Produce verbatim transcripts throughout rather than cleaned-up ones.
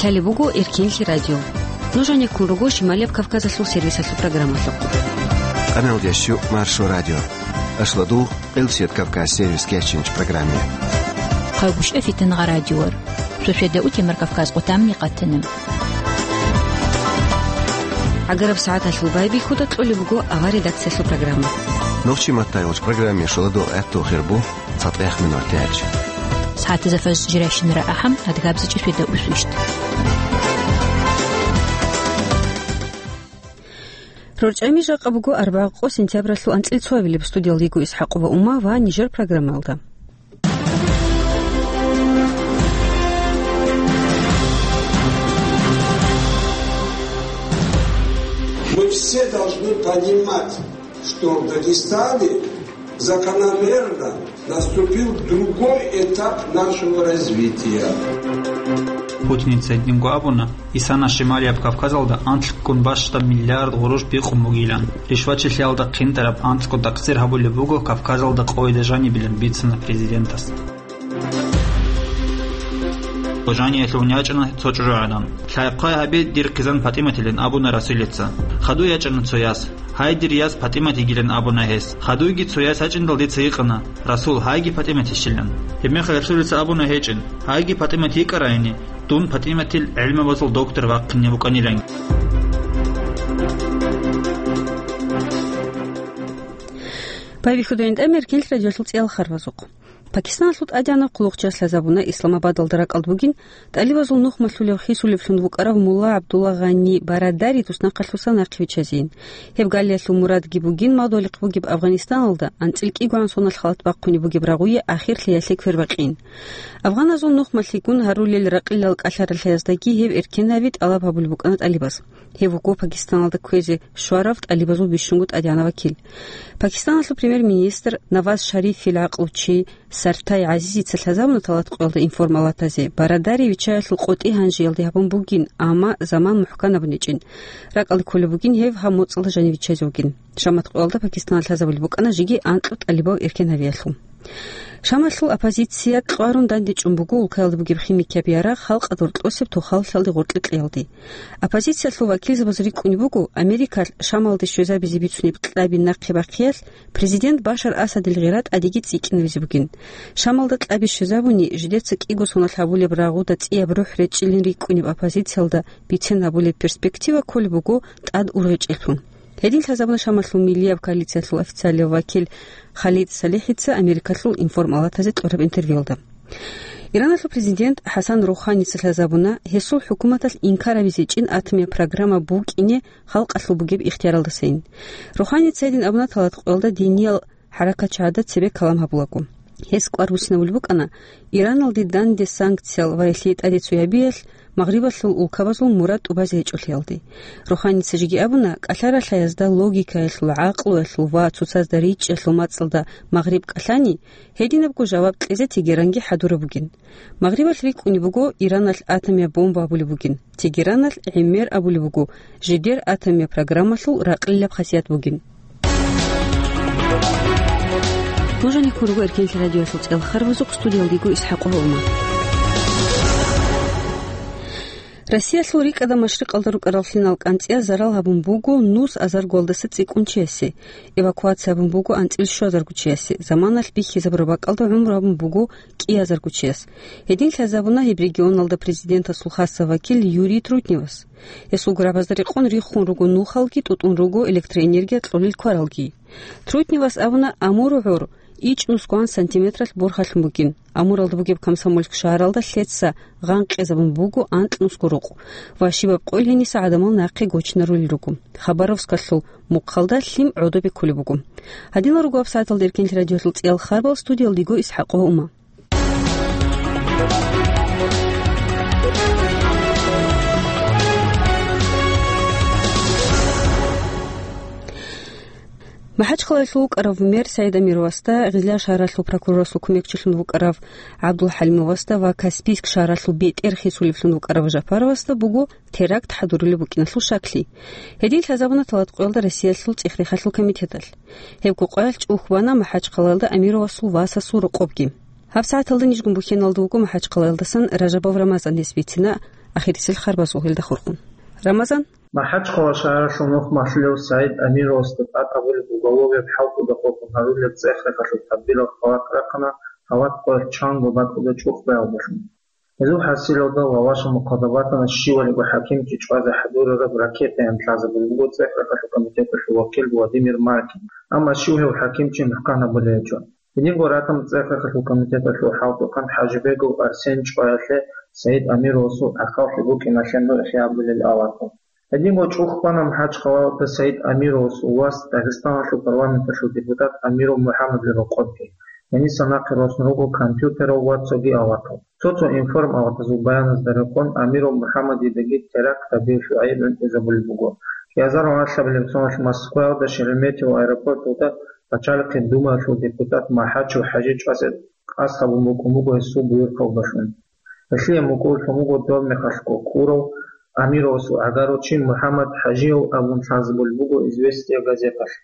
Лъалеб буго Эркенлъи радио. Нуж гьанеккун руго Шималияб Кавказалъул сервисалъул программалъухъ. Къаналдящу Маршо радио. Ашладул Къилсият Кавказ сервис кечинч программе. Хъагушев Фитангъа радиор. Шошеда утемар Кавказ къутамни къатанам. ГӀагараб сагӀаталъул байбихьуда кьолеб буго авар редакциялъул программа. Нохчи маттайгъуч программе шоладул гӀатту хирбу цатӀех минутач. СагӀатазда фажр жирайщинара ахӀам, адгабзичӀи шведа усвищт. РорчӀами жакъа буго арбагъ къо сентябралъул анцӀил цоабилеб студиялдего ИсхӀакъова Ума ва нижер программалда. Мы все должны понимать, что в Дагестане закономерно наступил другой этап нашего развития. Путиница гьединго абуна, ИсанаӀ Шималияб Кавказалда анлъгун бащдаб миллиард гъурущ бикъун бугилан. Ришвачилъиялда хъинтӀараб анцӀго такъсир гьабулеб буго Кавказалда къойда жанибилан, бицана президентас. Къожаниялъувун ячӀана цо чӀужугӀадан. «Лъай-хъвай гьабе, дир хъизан ПатӀиматилан», — абуна Расулица. Хадуй ячӀана цо яс. «Гьай, дир яс ПатӀимат йигилан», — абуна гьес. Хадуйги цо яс ячӀиндал дица гьикъана: «Расул, гьайги ПатӀимат йищилан?» Гьебмехалъ Расулица абуна гьечӀин: «Гьайги ПатӀимат йикӀарайни, дун ПатӀиматил гӀилмабазул доктор вахъине вукӀанилан». Байбихьуда гьанже Эркенлъи радиолъул цӀиялъул харбазухъ. Пакистаналъул тӀадегӀанав хъулухъчияс лъазабуна Исламабадалда ракӀалда бугин тӀалибазул нухмалъулев хисулевлъун вукӀарав мулла ГӀабдулла Гъани Барадари туснахъалъуса нахъе виччазейин. Гьеб галиялъул мурадги бугин мадугьалихъ бугеб Афганистаналда анцӀил кӀигогӀан соналъ халат бахъунеб бугеб рагъуе ахирлъиялъе квербакъин. Афганазул нухмалъигун гьарулел ракъилал кӀалъаралъаяздаги гьеб эркенаби тӀалаб гьабулеб букӀана тӀалибаз. Гьев вуго Пакистаналда кквезе щварав тӀалибазул бищунго тӀадегӀанав вакил. Пакистаналъул премьер-министр Наваз Шарифил гӀакълучи Сартай ГӀазизица лъазабуна талат къоялда информалатазе, Барадари виччаялъул къотӀи гьанжеялде гьабун бугин, амма заман мухӀкан абун гьечӀин. РакӀалде кколеб бугин гьев гьаб моцӀалда жанив виччазе вугин. Шамат къоялда Пакистаналъ лъазабулеб букӀана жеги анкьго тӀалибав эркенавиялъул. Шамалъул оппозиция кьварун дандечӀун буго улкаялда бугеб химикияб ярагъ халкъалда гъоркьосеб тохаллъиялде гъоркье кьеялде. Оппозициялъул вакилзабаз рикӀкӀунеб буго, Америкалъ Шамалде щвезабизе бицунеб кьаби нахъе бахъиялъ президент Башар Асадил гъира тӀадеги цӀикӀкӀинабизе бугин. Шамалда кьаби щвезабуни, жидеца кӀиго соналъ гьабулеб рагъуда цӀияб рухӀ речӀчӀилин рикӀкӀунеб оппозициялда бицен гьабулеб перспектива кколеб буго тӀад ургъечӀелъул. Гьедин лъазабуна Шамалъул миллияб коалициялъул официалияв вакил Халид СалихӀица Америкалъул информалатазе кьураб интервьюялда. Ираналъул президент ХӀасан Руханица лъазабуна гьесул хӀукуматалъ инкар гьабизе чӀин атомияб программа букӀине халкъалъул бугеб ихтияралдасайин. Руханица гьедин абуна талат къоялда диниял хӀаракатчагӀазда цебе калам гьабулаго. Гьес кӀвар буссинабулеб букӀана Ираналде данде санкциял ва гьелъие тӀаде цоябиялъ Магърибалъул улкабазул мурад тӀубазе гьечӀолъиялде. Руханица жеги абуна, кӀалъаралъаязда логикаялъул, гӀакълуялъул ва цоцазда ричӀчӀиялъул мацӀалда Магъриб кӀалъани, гьединабго жаваб кьезе Тегеранги хӀадураб бугин. Магърибалъ рикӀкӀунеб буго Ираналъ атомияб бомба абулеб бугин. Тегераналъ гӀемер абулеб буго, жидер атомияб программалъул ракъилаб хасият бугин. Нуж гьанеккун руго Эркенлъи радиоялъул цӀиялъул харбазухъ, студиялда йиго ИсхӀакъова Ума. Россиялъул рикӀкӀада машрикъалда рукӀарал лъимал кӀанцӀияз зарал гьабун буго нус азаргоялдаса цӀикӀкӀунчиясе, эвакуация гьабун буго анцӀил щуазаргучиясе, заманалъ бихьизабураб бакӀалда гӀумру гьабун буго кӀиазаргучияс. Гьедин лъазабуна гьеб регионалда президентасул хасаб вакил Юрий Трутневас. Гьесул гурабазда рекъон риххун руго нухалги, тӀутӀун руго электроэнергия кьолел кваралги. Трутневас абуна, Амур гӀур ичӀнусгоан сантиметралъ борхалъун бугин. Амуралда бугеб Комсомольск шагьаралда лъеца гъанкъизабун буго анкьнусго рукъ ва щибаб къойил гьениса гӀадамал нахъе гочинарулел руго. Хабаровскалъул мухъалда лъим гӀодобе кколеб буго. Гьадинал руго гьабсагӀаталда Эркенлъи радиоялъул цӀиялъул харбал, студиялда йиго ИсхӀакъова Ума. МахӀачхъалаялъул вукӀарав мэр СагӀид Амировасда, Гъизлияр шагьаралъул прокурорасул кумекчилъун вукӀарав ГӀабдулхӀалимовасда ва Каспийск шагьаралъул бетӀер хисулевлъун вукӀарав Жапаровасда буго теракт хӀадурулеб букӀиналъул шаклъи. Гьедин лъазабуна талат къоялда Россиялъул цӀех-рехалъул комитеталъ. Гьебго къоялъ чӀухь бана МахӀачхъалаялда Амировасул васасул рокъобги. ГьабсагӀаталда нижгун бухьеналда вуго МахӀачхъалаялдасан Ражабов Рамазан, гьес бицина Ахирисел харбазул гьелда хурхун. Рамазан? МахӀачхъала шагьаралъул нухмалъулев СагӀид Амировасда тӀад гьабулеб уголовияб хӀалтӀуда къокъун гьарулеб цӀех-рахъалъул тадбирал хабалъ рахъана гьалаб къоялъ чанго бакӀалда чӀухӀбаялдалъун. Гьезул хӀасилалда Лавашал мукъадабатана щивалиго хӀакимчи чӀвазе хӀадурараб ракетаян лъазабулеб буго цӀех-рахъалъул комитеталъул вакил Владимир Маркин, амма щив гьев хӀакимчи мухӀкан гьабулев гьечӀо. Гьединго ратана цӀех-рахъалъул комитеталъул хӀалтӀухъан ХӀажибегов Арсен чӀваялъе СагӀид Амировасул гӀахьаллъи букӀиналъе нугӀлъи гьабулел аварагал. Гьединго чӀухӀбана МахӀачхъалаялда СагӀид Амировасул вас, Дагъистаналъул парламенталъул депутат Амиров МухӀаммадил рокъобги, гьениса нахъе росун руго компьютерал ва цоги аварагал. Цо-цо информаватазул баяназда рекъон Амиров МухӀаммадидаги теракт гьабиялъул гӀайиб гӀунтӀизабулеб буго. Кьиазар гьалабилеб соналъ Москваялда Шереметьево аэропорталда пачалихъе Думаялъул депутат МахӀачев ХӀажи чӀвазе къасд гьабун букӀун буго гьесул буюрхъалдалъун. Гьелъие мукӀурлъун буго доб мехалъго ккурав Амировасул гӀагарав чи МухӀаммад ХӀажияв абун лъазабулеб буго «Известия» газеталъ.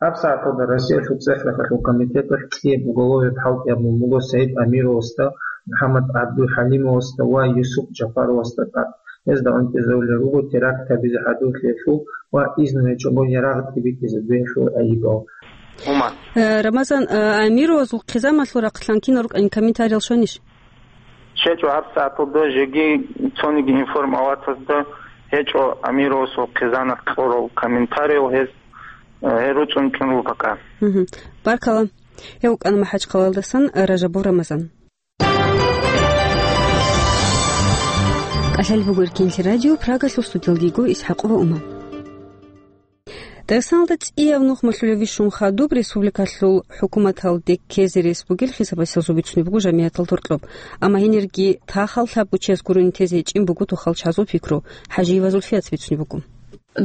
ГьабсагӀаталда Россиялъул цӀех-рахъалъул комитеталъ кӀияб уголовияб хӀалтӀи гьабун буго СагӀид Амировасда, МухӀаммад ГӀабдулхӀалимовасда ва Юсуп Жапаровасда тӀад. Гьезда гӀунтӀизабулел руго теракт гьабизе хӀадурлъиялъул ва изну гьечӀого ярагъ тӀибитӀизабиялъул гӀайибал. Умар. Э, Рамазан, э, Амировазул хъизамалъул рахъалъан кинал рукӀанин комментариял щванищ? ЧӀечӀо гьабсагӀаталда жеги цониги информаватазда гьечӀо Амировасул хъизанах кьурал комментариял, гьез, э, гьел руцӀцӀун чӀун руго пока. Мгм. Баркала. Гьев вукӀана МахӀачхъалаялдасан Ражабов Рамазан. КӀалъалеб буго Эркенлъи радио, Прагалъул студиялда йиго ИсхӀакъова Умар. Дагъистаналда цӀияб нухмалъулев вищун хадуб республикалъул хӀукуматалде ккезе рес бугел хисабасел зубицунеб буго жамигӀатал гьоркьоб. Амма гьенирги тахал лъабго чияс гурони тезе гьечӀин буго тухал чагӀазул пикру, ХӀажиева Зульфияца бицунеб буго.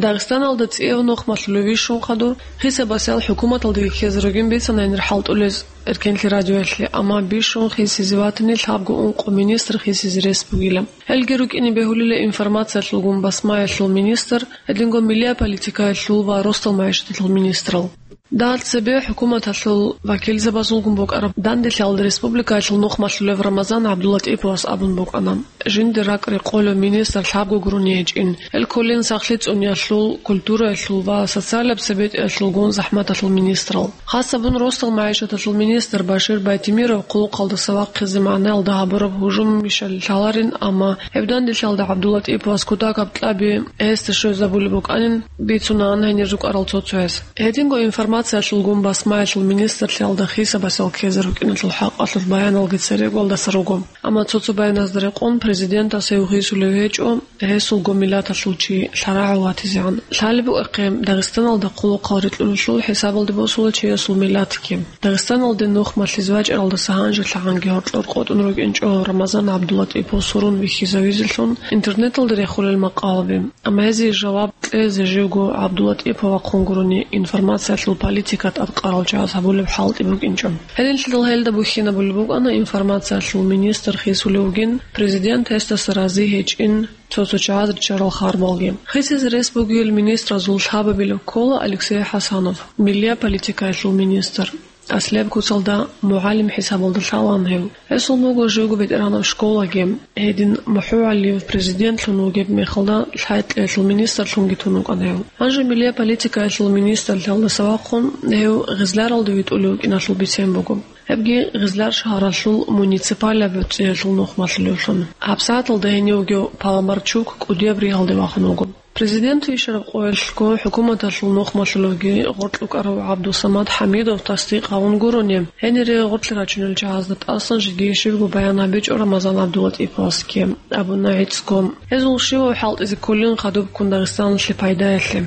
Дагъистаналда цӀияб нухмалъулев вищун хадур хисабасел хӀукуматалдеги ккезе ругин бицана гьенир хӀалтӀулез Эркенлъи радиоялъе, амма бищун хисизе ватани лъабго ункъо министр хисизе рес бугила. Гьелги рукӀине бегьулила информациялъулгун басмаялъул министр, гьединго миллият политикаялъул ва росдал магӀишаталъул министрал. Дагьал цебе хӀукуматалъул вакилзабазулгун букӀараб данделъиялда республикаялъул нухмалъулев Рамазан ГӀабдуллатӀиповас абун букӀана: жинда ракӀ-рекъолев министр лъабго гурони гьечӀин, гьел кколин сахлъи цӀуниялъул, культураялъул ва социалаб цебетӀиялъулгун захӀматалъул министрал. Хасабун росдал магӀишаталъул министр Башир Байтимиров хъулухъалдаса вахъизе магӀнаялда гьабураб гьужумищали лъаларин, амма гьеб данделъиялда ГӀабдуллатӀиповас кутакаб кьаби гьесда щвезабулеб букӀанин бицунаан гьенир рукӀарал цо-цояс. Гьединго информациялъулгун басмаялъул министрлъиялда хисабасел ккезе рукӀиналъул хӀакъалъулъ баяналги церегоялдаса руго. Амма цо-цо баяназда рекъон президентас гьев хисулев гьечӀо, гьесулго миллаталъул чи лъарагӀав ватизегӀан. Лъалеб букӀахъе, Дагъистаналда хъулухъал рикьулелъул хӀисабалде босула чиясул миллатги. Дагъистаналде нухмалъизе вачӀаралдаса гьанжелъагӀанги гьоркьор къотӀун рукӀинчӀо Рамазан ГӀабдуллатӀипов сурун вихьизавизелъун интернеталда рехулел макъалаби. Амма гьезие жаваб кьезе живго ГӀабдуллатӀипов вахъун гурони информациялъул политика тӀадкъарал чагӀаз гьабулеб хӀалтӀи букӀинчӀо. Гьединлъидал гьелда бухьинабулеб букӀана информациялъул министр хисулев вугин, президент гьесдаса рази гьечӀин, цо-цо чагӀаз риччарал харбалги. Хисизе рес бугел министразул лъабабилеб ккола Алексей ХӀасанов, миллият политикаялъул министр. Аслияб куцалда мугӀалим хӀисабалда лъалаан гьев. Гьесул буго живго бетӀергьанаб школаги, гьедин МухӀугьалиев президентлъун вугеб мехалда лъай-кьеялъул министрлъунги тун вукӀана гьев. Гьанже миллият политикаялъул министрлъиялдаса вахъун гьев Гъизларалда витӀулев вукӀиналъул бицен буго. Гьебги Гъизлар шагьаралъул муниципалияб цӀиялъул нухмалъулевлъун. ГьабсагӀаталда гьенив вугев Паламарчук кӀудияб ригьалде вахун вуго. Президент вищараб къоялъго хӀукуматалъул нухмалъулевги гъоркь вукӀарав ГӀабдусамад ХӀамидов тасдикъ гьавун гурони, гьенире гъоркье рачунел чагӀазда тӀасан жеги щибго баян гьабичӀо Рамазан ГӀабдуллатӀиповасги, абуна гӀицӀго. Гьезул щивав хӀалтӀизе кколин хадубккун Дагъистаналъе пайдаялъе.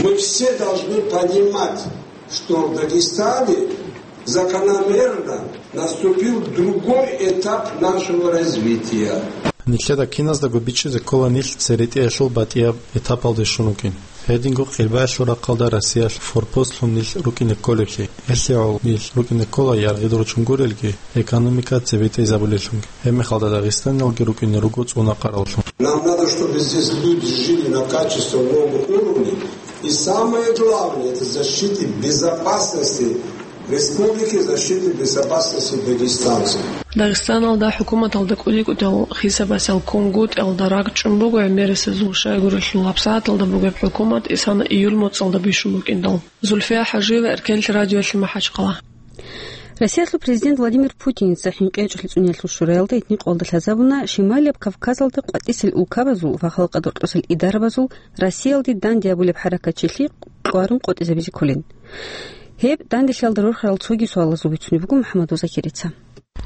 Мы все должны понимать, что в Дагестане закономерно наступил другой этап нашего развития. Нилъеда киназдаго бичӀчӀизе ккола нилъ церетӀиялъул батӀияб этапалде щун вукӀин. Гьединго къилбаялъул рахъалда Россиялъ форпостлъун нилъ рукӀине кколеблъи. Гьелъие гӀоло нилъ рукӀине ккола яргъи ручун гурелги, экономика цебетӀезабулеллъунги. Гьебмехалда Дагъистаналги рукӀине руго цӀунахъараллъун. Нам надо, чтобы здесь люди жили на качественно новом уровне. И самое главное, это защиты безопасности Республики защиты безопасности дагестанцев. Дагъистаналда хӀукуматалда кӀудияв хисабасел кунгутӀиялда ракӀчӀун буго гӀемерисезул щайгурелъул гьабсагӀаталда бугеб хӀукумат исана июль моцӀалда бищун букӀиндал. Зульфия ХӀажиева, Эркенлъи радиоялъе, МахӀачхъала. Россиялъул президент Владимир Путиница ХӀинкъичӀолъи цӀуниялъул шуралда итникъалда лъазабуна Шималияб Кавказалда къватӀисел улкабазул ва халкъалда рокьосел идарабазул Россиялде данде гьабулеб хӀаракатчилъи къваригӀун къотӀизабизе кколин. Гьеб данделъиялда рорхарал цоги суалазул бицунеб буго МухӀаммадов Закирица.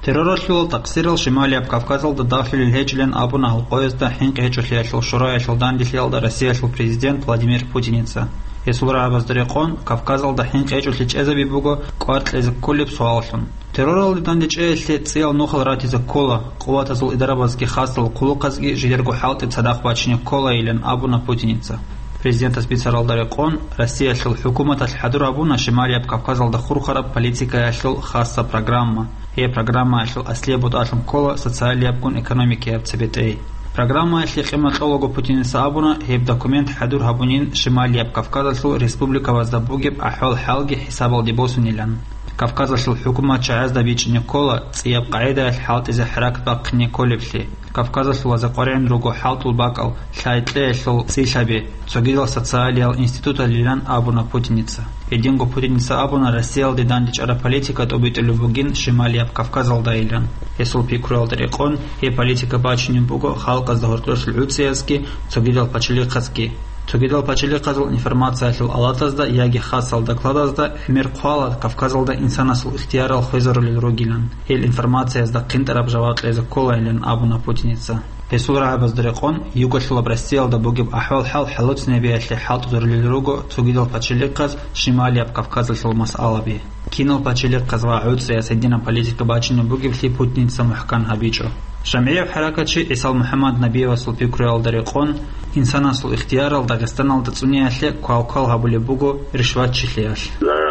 Терроралъул такъсирал Шималияб Кавказалда дагьлъулел гьечӀилан абуна гьал къоязда ХӀинкъичӀолъиялъул шураялъул данделъиялда Россиялъул президент Владимир Путиница. Гьесул рагӀабазда рекъон, Кавказалда хӀинкъичӀолъи чӀезаби буго кӀвар кьезе кколеб суаллъун. Терроралде дандечӀеялъе цӀиял нухал ратизе ккола, къуватазул идарабазги хасал хъулухъазги жидерго хӀалтӀи цадахъ бачине кколайилан абуна Путиница. Президентас бицаралда рекъон, Россиялъул хӀукуматалъ хӀадур гьабуна Шималияб Кавказалда хурхараб политикаялъул хасса программа. Гьеб программаялъул аслияб бутӀалъун ккола социалиябгун экономикияб цебетӀей. Программаялъе къимат кьолаго Путиница абуна, гьеб документ хӀадур гьабунин Шималияб Кавказалъул республикабазда бугеб ахӀвал-хӀалги хӀисабалде босунилан. Кавказалъул хӀукуматчагӀазда бичӀчӀине ккола цӀияб къагӀидаялъ хӀалтӀизе хӀаракат бахъине кколеблъи. Кавказалъул ва ЗакъваригӀун руго хӀалтӀул бакӀал, лъай-кьеялъул цӀилъаби, цогидал социалиял институталилан абуна Путиница. Гьединго Путиница абуна Россиялде дандечӀараб политика тӀобитӀулеб бугин Шималияб Кавказалдайилан. Гьесул пикруялда рекъон, гьеб политика бачунеб буго халкъазда гьоркьошлъи гӀуцӀиязги, цогидал пачалихъазги. Цогидал пачалихъазул информациялъул алатазда яги хасал докладазда гӀемер хъвала Кавказалда инсанасул ихтиярал хвезарулел ругилан, гьел информациязда хъинтӀараб жаваб кьезе кколайилан абуна Путиница. Гьесул рагӀабазда рекъон, югалъулаб Россиялда бугеб ахӀвал-хӀал хӀалуцинабиялъе хӀалтӀизарулел руго цогидал пачалихъаз Шималияб Кавказалъул масъалаби. Кинал пачалихъаз ва гӀуцӀияс гьединаб политика бачунеб бугеблъи Путиница мухӀкан гьабичӀо. ЖамгӀияб хӀаракатчи ГӀисал МухӀаммад Набиевасул пикруялда рекъон, инсанасул ихтиярал Дагъистаналда цӀуниялъе квалквал гьабулеб буго ришватчилъиялъ.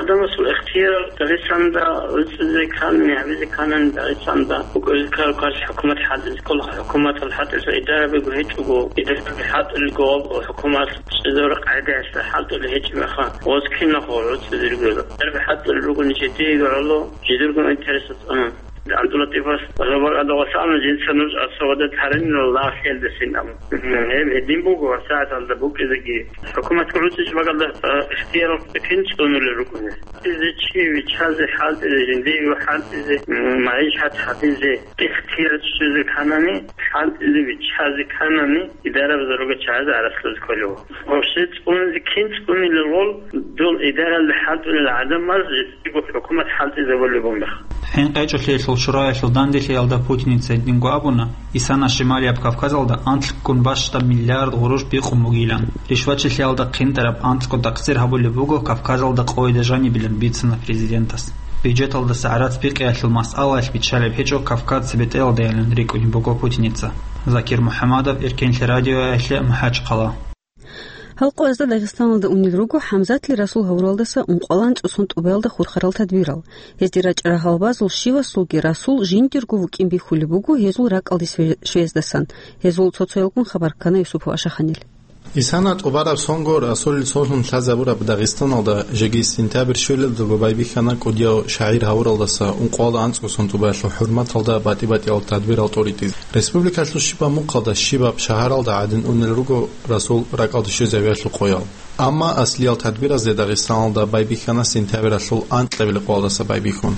Адамасул ихтияр Дагъистанда гӀуцӀизе ккани, гьабизе ккани, Дагъистанда букӀине ккараб хӀукумат хӀалтӀизе ккола, хӀукуматалъ хӀалтӀизе идарабиго гьечӀого, идарабиги хӀалтӀулелго ва хӀукуматалъ чӀезабураб къагӀидаялъ хӀалтӀулел гьечӀеб мехалъ, гьез киналго гӀуцӀизе ругела. Идарабиги хӀалтӀулел ругони жидеего гӀоло, жидерго интересалда цӀунун. ГӀабдуллатӀифас ва Зобал Адавасална жинца нуж асавадат гьаринила лагълъиялдасин абун. Гьеб гьедин буго, ва сагӀаталда букӀизеги хӀукуматги гӀуцӀичӀеб бакӀалда, а, ихтияр кин цӀунулел рукӀуна. Изе чи виччазе хӀалтӀизе, жиндиего хӀалтӀизе, м, магӀишат гьабизе ихтияр чӀезе кканани, хӀалтӀизе виччазе кканани, идарабазда ругел чагӀазе гӀарац лъузе кколев. Вообще цӀунизе кин цӀунилел гъол, дол идаралда хӀалтӀулел гӀадамаз жиндиего хӀукумат хӀалтӀизабулеб бугеб мехалъ. ХӀинкъичӀолъиялъул шураялъул данделъиялда Путиница гьединго абуна, исана Шималияб Кавказалда анлъгун бащдаб миллиард гъурущ бикъун бугилан. Ришватчилъиялда хъинтӀараб анцӀго такъсир гьабулеб буго Кавказалда къойда жанибилан, бицана президентас. Бюджеталдаса гӀарац бикъиялъул масъалаялъ биччалеб гьечӀо Кавказ цебетӀеялдайилан рикӀкӀунеб буго Путиница. Закир МухӀаммадов, Эркенлъи радиоялъе, МахӀачхъала. Гьал къоязда Дагъистаналда унел руго ХӀамзатли Расул гьавуралдаса ункъоялда анцӀго сон тӀубаялда хурхарал тадбирал. Гьезде рачӀарал гьалабазул щивасулги Расул жиндирго вукӀин бихьулеб буго гьезул ракӀалде све-, щвездасан. Гьезул цо-цоялгун хабар ккана Юсупов Ашаханил. Исана тӀубараб сонго Расулил сонлъун лъазабураб Дагъистаналда жеги сентябрь щвелалдаго байбихьана кӀудияв шагӀир гьавуралдаса ункъоялда анцӀго сон тӀубаялъул хӀурматалда батӀи-батӀиял тадбирал тӀоритӀизе. Республикалъул щибаб мухъалда, щибаб шагьаралда гӀадин унел руго Расул ракӀалде щвезавиялъул къоял. Амма аслиял тадбиразде Дагъистаналда байбихьана сентябралъул анкьабилеб къоялдаса байбихьун.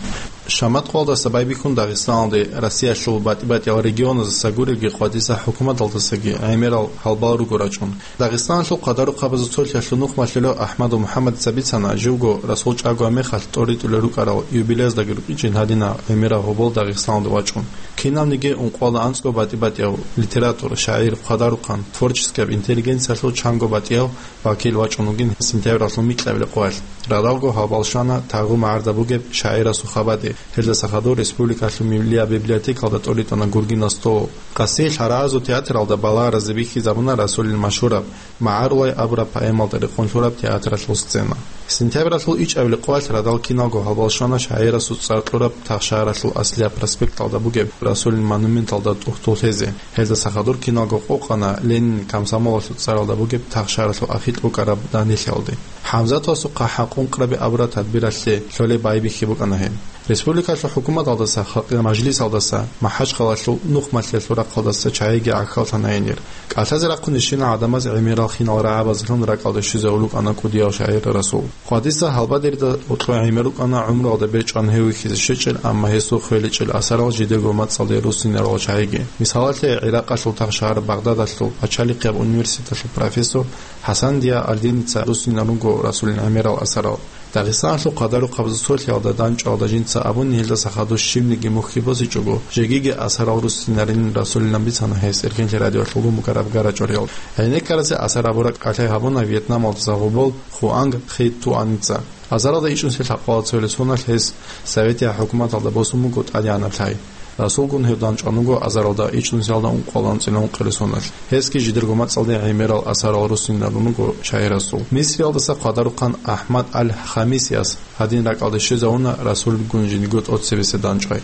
Шамат къоялдаса байбихьун Дагъистаналде Россиялъул батӀи-батӀиял регионаздаса гуребги къватӀиса хӀукуматалдасаги гӀемерал гьалбал руго рачӀун. Дагъистаналъул хъадарухъабазул цолъиялъул нухмалъулев АхӀмадов МухӀаммадица бицана, живго Расул чӀагоаб мехалъ тӀоритӀулел рукӀарал юбилеяздаги рукӀинчӀин гьадинаб гӀемераб гьобол Дагъистаналде вачӀун. Кинабниги ункъоялда анцӀго батӀи-батӀияв литератор, шагӀир, хъадарухъан, творческияб интеллигенциялъул чанго батӀияв вакил вачӀун вугин сентябралъул микьабилеб къоялъ. Радалго гьалбал щвана тагъу магӀарда бугеб шагӀирасул хабаде. Гьелдаса хадур республикалъул миллияб библиотекалда тӀоритӀана гургинал стол. Къасиялъ гьарагӀазул театралда балагьаразе бихьизабуна Расулил машгьураб «МагӀарулай» абураб поэмалда рекъон лъураб театралъул сцена. Сентябралъул ичӀабилеб къоялъ радал киналго гьалбал щвана шагӀирасул цӀар кьураб Тахшагьаралъул Аслияб проспекталда бугеб Расулил монументалда тӀухьдул лъезе. Гьелдаса хадур киналго къокъана Ленин комсомолалъул цӀаралда бугеб Тахшагьаралъул ахикь букӀараб данделъиялде. ХӀамзатовасухъа хӀакъун-къаби абураб тадбиралъе лъолеб байбихьи букӀана гьеб. Республикалъул хӀукуматалдаса, халкъиял мажлисалдаса, МахӀачхъалалъул нухмалъиялъул рахъалдаса чагӀиги гӀахьаллъана гьенир. КӀалъазе рахъунищинал гӀадамаз гӀемерал хинал рагӀабазлъун ракӀалде щвезе гьулукӀана кӀудияв шагӀир Расул. Хъвадиса гьалбадерида гьоркьоб гӀемер рукӀана гӀумруялда бечӀван гьев вихьизе щвечӀел, амма гьесул хвеличӀел асарал жидерго мацӀалде руссинарал чагӀиги. Мисалалъе, ГӀиракъалъул тахшагьар Багъдадалъул пачалихъияб университеталъул профессор ХӀасан Зияалдиница руссинарун руго Расулил гӀемерал асарал. Дагъистаналъул хъвадарухъабазул цолъиялда дандчӀвалда жинца абуни, гьелдаса хадур щибниги мухьи босичӀого, жегиги асарал руссинарин Расулилан бицана гьес Эркенлъи радиоялъул гун бугеб гарачӀориял. ГӀенеккаразе асар абураб кӀалъай гьабуна Вьетнамалдаса гъобол Хуанг Хи Туаница. Азаралда ичӀнусиялъул лъабкъоялда цоял соналъ гьес Советиял хӀукуматалда босун буго тӀадегӀанаб лъай. Расулгун гьев дандчӀван вуго азаралда ичӀнусиялда ункъоялда анцӀила ункъоялда соналъ. Гьесги жидерго мацӀалде гӀемерал асарал руссинарун руго шагӀирасул. Мисриялдаса хъвадарухъан АхӀмад аль-Хамисияс гьадин ракӀалде щвезавуна Расулгун жиндирго тӀоцебесеб дандчӀвай.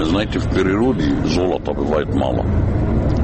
Знаете, в природе золота бывает мало.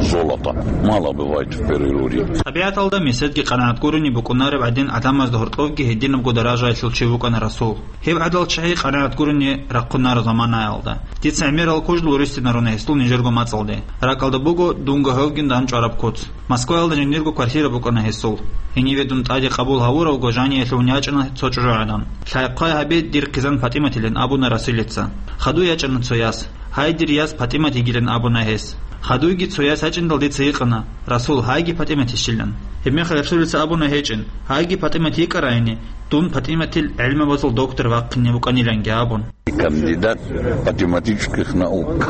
Золота мало бывает в природе. ТӀабигӀаталда меседги къанагӀат гурони букӀунареб гӀадин, гӀадамазда гьоркьовги гьединабго даражаялъул чи вукӀана Расул. Гьеб гӀадал чагӀи къанагӀат гурони рахъунареб заманаялда. Дица гӀемерал кужлу руссинарун гьесул нижерго мацӀалде. РакӀалда буго дунго гьевгин дандчӀвараб куц. Москваялда жиндирго квартира букӀана гьесул. Гьениве дун тӀаде къабул гьавуравго жаниялъувун ячӀана цо чӀужугӀадан. Лъай-хъвай гьабе, дир хъизан ПатӀиматилан абуна Расулица. Хадуй ячӀана цо яс. Гьай, дир яс ПатӀимат йигилан абуна гьес. Хадуйги цо яс ячӀиндал дица гьикъана: «Расул, гьайги ПатӀимат йищилан?» Гьебмехалъ Расулица абуна гьечӀин: «Гьайги ПатӀимат йикӀарайни, дун ПатӀиматил гӀелмабазул доктор вахъине вукӀаниланги», – абун. Кандидат математических наук.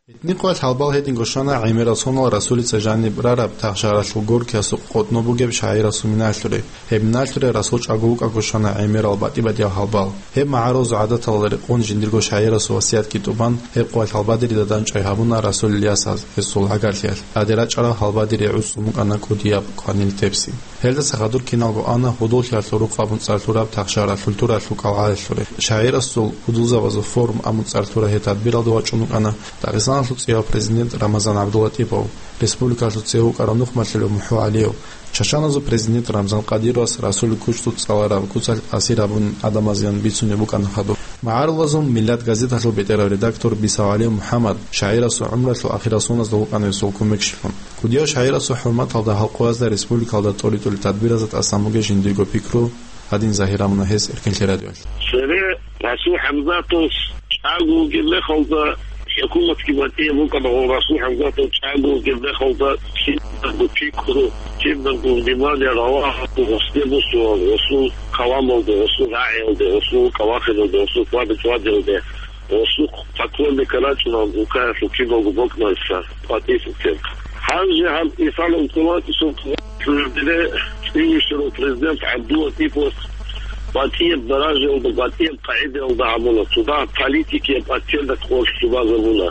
Гьитнихъуялъ гьалбал гьединго щвана гӀемерал сонал Расулица жаниб рараб Тахшагьаралъул Горькиясухъ къотӀно бугеб шагӀирасул минаялъуре. Гьеб минаялъуре Расул чӀаго вукӀаго щвана гӀемерал батӀи-батӀиял гьалбал. Гьеб магӀарулазул гӀадаталда рекъон жиндирго шагӀирасул васиятги тӀубан, гьеб къоялъ гьалбадерида дандчӀвай гьабуна Расулил ясаз гьесул гӀагарлъиялъ. ТӀаде рачӀарал гьалбадери гӀуцӀун букӀана кӀудияб кванил тепси. Гьелдаса хадур киналго ана гьудуллъиялъул рукъ абун цӀар лъураб Тахшагьаралъул туралъул кӀалгӀалалъуре. ШагӀирасул гьудулзабазул форум абун цӀар лъураб гьеб тадбиралде вачӀун вукӀана Дагъистаналъул цӀияв президент Рамазан ГӀабдуллатӀипов, республикалъул цеве вукӀарав нухмалъулев МухӀу ГӀалиев, чачаназул президент Рамзан Кадыровас Расулил кучӀдул цӀалараб куцалъ асир гьабун гӀадамазеян бицунеб букӀана хадуб. МагӀарулазул Миллат газеталъул бетӀерав редактор Бисав ГӀалиев МухӀаммад шагӀирасул гӀумруялъул ахирал соназда вукӀана гьесул кумекчилъун. КӀудияв шагӀирасул хӀурматалда гьал къоязда республикалда тӀоритӀулел тадбиразда тӀасан бугеб жиндирго пикру гьадин загьир гьабуна гьес Эркенлъи радиоялъ. Цере Расул ХӀамзатовас чӀаго вугеб мехалда хӀукуматги батӀияб букӀана, ва Расул ХӀамзатов чӀаго вугеб мехалда кинабго пикру, кинабго внимание ралагьун гъосде босун, гъосул каламалде, гъосул рагӀиялде, гъосул кӀалахиналде, гъосул хьвада-чӀвадиялде. Гъосухъ поклонника рачӀуна улкаялъул киналго бокӀнайса къватӀисеб тел. Гьанже гьаб Исалан Кулатисул цӀивищарав президент ГӀабдуллатӀипов батӀияб даражаялда, батӀияб къагӀидаялда гьабуна, цо дагь политикияб оттенок гъорлъ цӀубазабуна.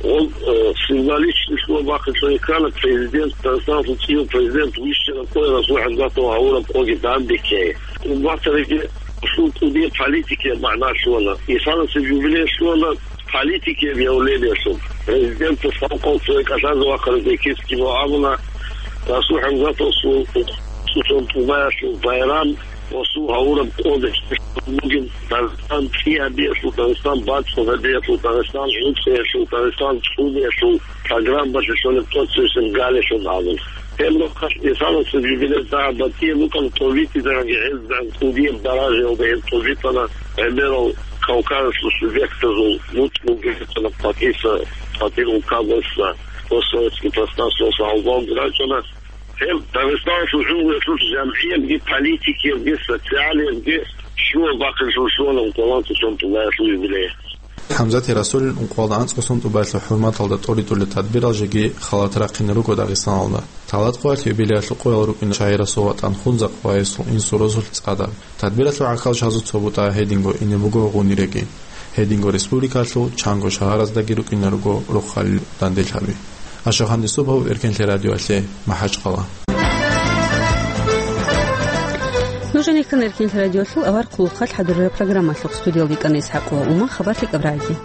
Гъол, э, символичный лъугьа-бахъинлъун ккана президент, Дагъистаналъул цӀияв президент вищараб къоялъ Расул ХӀамзатов гьавураб къоги данде ккей. Кумбатариги Расул кӀудияб политикияб магӀна лъугьана. Исаласеб юбилей лъугьана политикияб явлениялъул. Президентас халкъалъ цеве кӀалъазе вахъараб бекизе кибал абуна, Расул ХӀамзатовасул цӀусон тӀубаялъул байрам, гъосул гьавураб къо бихьизабун бугин, Дагъистан цӀи гьабиялъул, Дагъистан бацӀцӀад гьабиялъул, Дагъистан гӀуцӀиялъул, Дагъистан цӀуниялъул программалъе щолеб тӀоцебесеб галилъун абун. Гьеб рахъалъ Исаласеб юбилей дагьаб батӀияб букӀана, тӀобитӀизеги гьезда кӀудияб даражаялда гьеб тӀобитӀана гӀемерал Кавказалъул субъектазул, мутӀигӀги рачӀана къватӀиса, къватӀир улкабазда, постсоветский пространствоялъ гьалбалги рачӀана. Гьеб Дагъистаналъул гӀумруялъул жамгӀиябги, политикиябги, социалиябги лъугьа-бахъинлъун лъугьана ункъоялда анцӀго сон тӀубаялъул юбилей. ХӀамзатил Расулил ункъоялда анцӀго сон тӀубаялъул хӀурматалда тӀоритӀулел тадбирал жеги халат рахъине руго Дагъистаналда. Талат къоялъ юбилеялъул къоял рукӀина шагӀирасул ватӀан Хунзахъ ва гьесул инсул-росулъ цӀадаб. Тадбиралъул гӀахьалчагӀазул цо бутӀа гьединго ине буго гъуниреги. Гьединго республикалъул чанго шагьараздаги рукӀине руго рохалил данделъаби. Ашахан Юсупов, Эркенлъи радиоялъе, МахӀачхъала. Нужеца ккана Эркин радиолъул авар хъулухъалъ хӀадурараб программалъухъ. Студиялда йикӀана ИсхӀакъ ва Ума. Хабар лъикӀаб рагӀи.